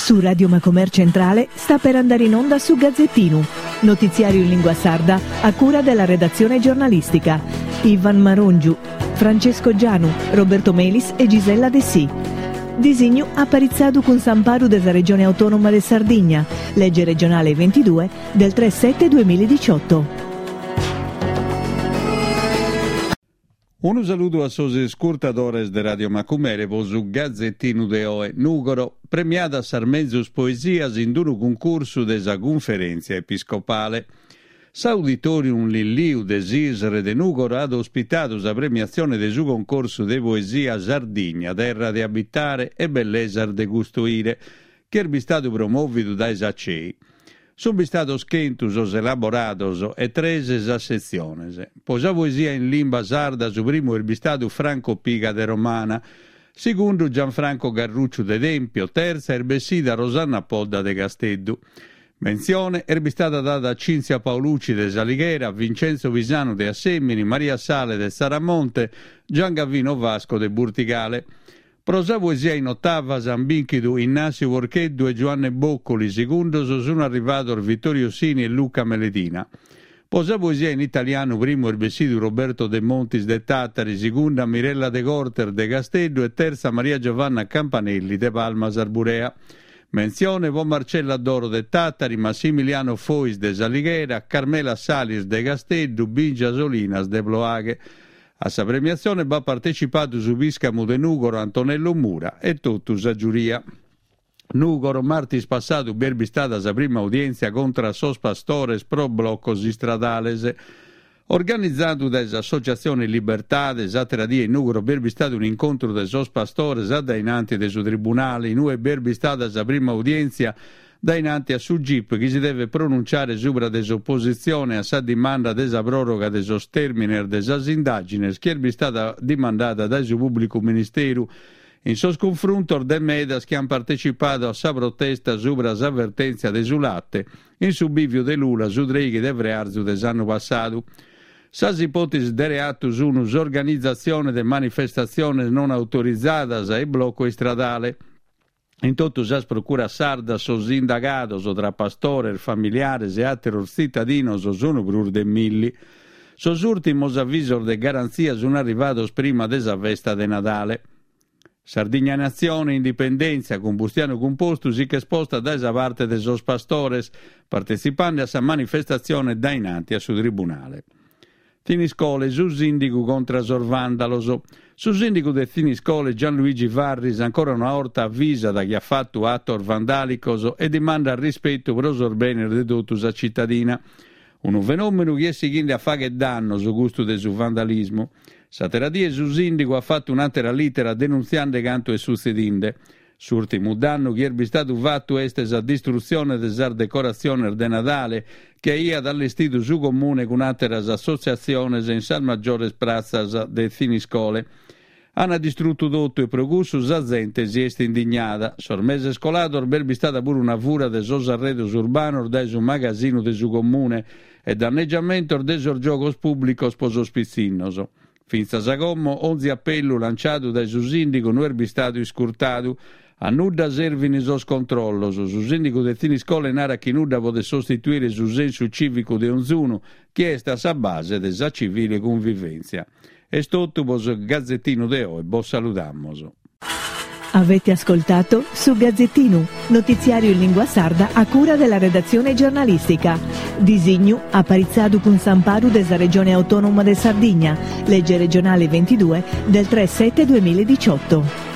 Su Radio Macomer Centrale sta per andare in onda su Gazzettinu, notiziario in lingua sarda a cura della redazione giornalistica. Ivan Marongiu, Francesco Gianu, Roberto Melis e Gisella Dessì. Disignu aparitzadu cun s'amparu de sa Regione Autonoma de Sardigna, lege regionale 22 del 3 7 2018. Unu saludu a sos iscurtadores de Radio Macumere po su Gazettinu de oe. Nùgoro, premiadas sas menzus poesias in unu cuncursu de sa Cunferèntzia Episcopale. S'Auditorium Lilliu de s'Isre de Nùgoro at ospitadu sa premiatzione de su concorsu de poesia Sardigna, terra de abitare e bellesas de custoire, chi est bistadu promòvidu dae sa CEI. Sunt bistados chentu sos elaborados e tres sas setziones. Po sa poesia in limba sarda su primu est bistadu Franco Piga de Romana, segundu Gianfranco Garrucciu de Tempio, tertza est bessida Rosanna Podda de Casteddu. Mentzione est bistada dada a Cinzia Paolucci de S'Alighera, Vincenzo Pisanu de Assèmini, Maria Sale de Tzaramonte, Giangavino Vasco de Burtigale. Pro sa poesia in otavas ant bìnchidu Innàssiu Porcheddu e Giuanne Boccoli, segundos sunt arrivados Vittorio Sini e Luca Meledina. Pro sa poesia in italianu primu est bessidu Roberto Demontis de Tàtari, segunda Mirella Degortes de Casteddu e tertza Maria Giovanna Campanelli de Palmas Arburea. Mentzione pro Marcella Doro de Tàtari, Massimiliano Fois de S'Alighera, Carmela Salis de Casteddu, Bingia Solinas de Ploaghe. A sa premiatzione b'at partecipadu su pìscamu de Nùgoro Antonello Mura e totu sa giuria. Nùgoro, martis passadu b'est bistada sa prima udièntzia contra a sos pastores pro blocos istradales. Organizadu dae s'associatzione Libertade, s'àtera die in Nùgoro b'est bistadu un'incontru de sos pastores a dae in anti de su tribunale, in ue b'est bistada sa prima udièntzia dae in anti a su Gip chi si devet pronunciare subra de s'opositzione a sa dimanda de sa pròroga de sos tèrmines de sas indàgines chi est bistada dimandada dae su pùblicu ministeru in sos cunfruntos de medas chi ant partecipadu a sa protesta subra sa vertèntzia de su late in su bìviu de Lula su trèighi de frearzu de s'annu passadu. Sas ipòtesis de reatu sunt s'organizatzione de manifestatziones non autorizadas e bloco istradale. In totu sas procuras sardas sos indagados, tra pastores, familiares e àteros tzitadinos, sunt prus de milli. Sos ùrtimos avisos de garantzia sunt arrivados prima de sa festa de Nadale. Sardigna Natzione Indipendèntzia cun Bustianu Cumpostu si ch'est posta dae sa parte de sos pastores, partetzipande a sa manifestatzione dae in anti a su tribunale. Thiniscole, su sìndigu contra sos vàndalos. Su sìndigu de Thiniscole Gianluigi Farris ancora una 'orta avisat chi at fatu atos vandàlicos e dimandat rispetu pro sos benes de totu sa citadina. Unu fenòmenu chi est sighende a fagher dannos custu de su vandalismu. S'àtera die su sìndigu at fatu un'àtera lìtera denuntziende cantu est sutzedinde. S'ùrtimu dannu chi est bistadu fatu est sa distrutzione de sas decoratziones de Nadale chi aiat allestidu su Comune cun àteras assotziatziones in sas magiores pratzas de Thiniscole. An distrutu totu e pro cussu sa zente si est indignada. Sos meses colados b'est bistada puru una fura de sos arredos urbanos dae su magasinu de su Comune e dannegiamentos de sos giogos pùblicos pro sos pitzinnos. Fintzas a como, onzi apellu lanciadu dae su sìndigu no est bistadu iscurtadu. A nudda servin sos controllos. Su sìndigu de Thiniscole narat chi nudda podet sostituire su sensu cìvicu de onzunu, chi est a sa base de sa civile cunvivèntzia. Est totu pro su Gazettinu de oe, bos saludamos. Avete ascoltato Su Gazzettinu, notiziario in lingua sarda a cura della redazione giornalistica. Disignu aparitzadu cun s'amparu de sa Regione Autonoma de Sardigna, legge regionale 22 del 3 7 2018.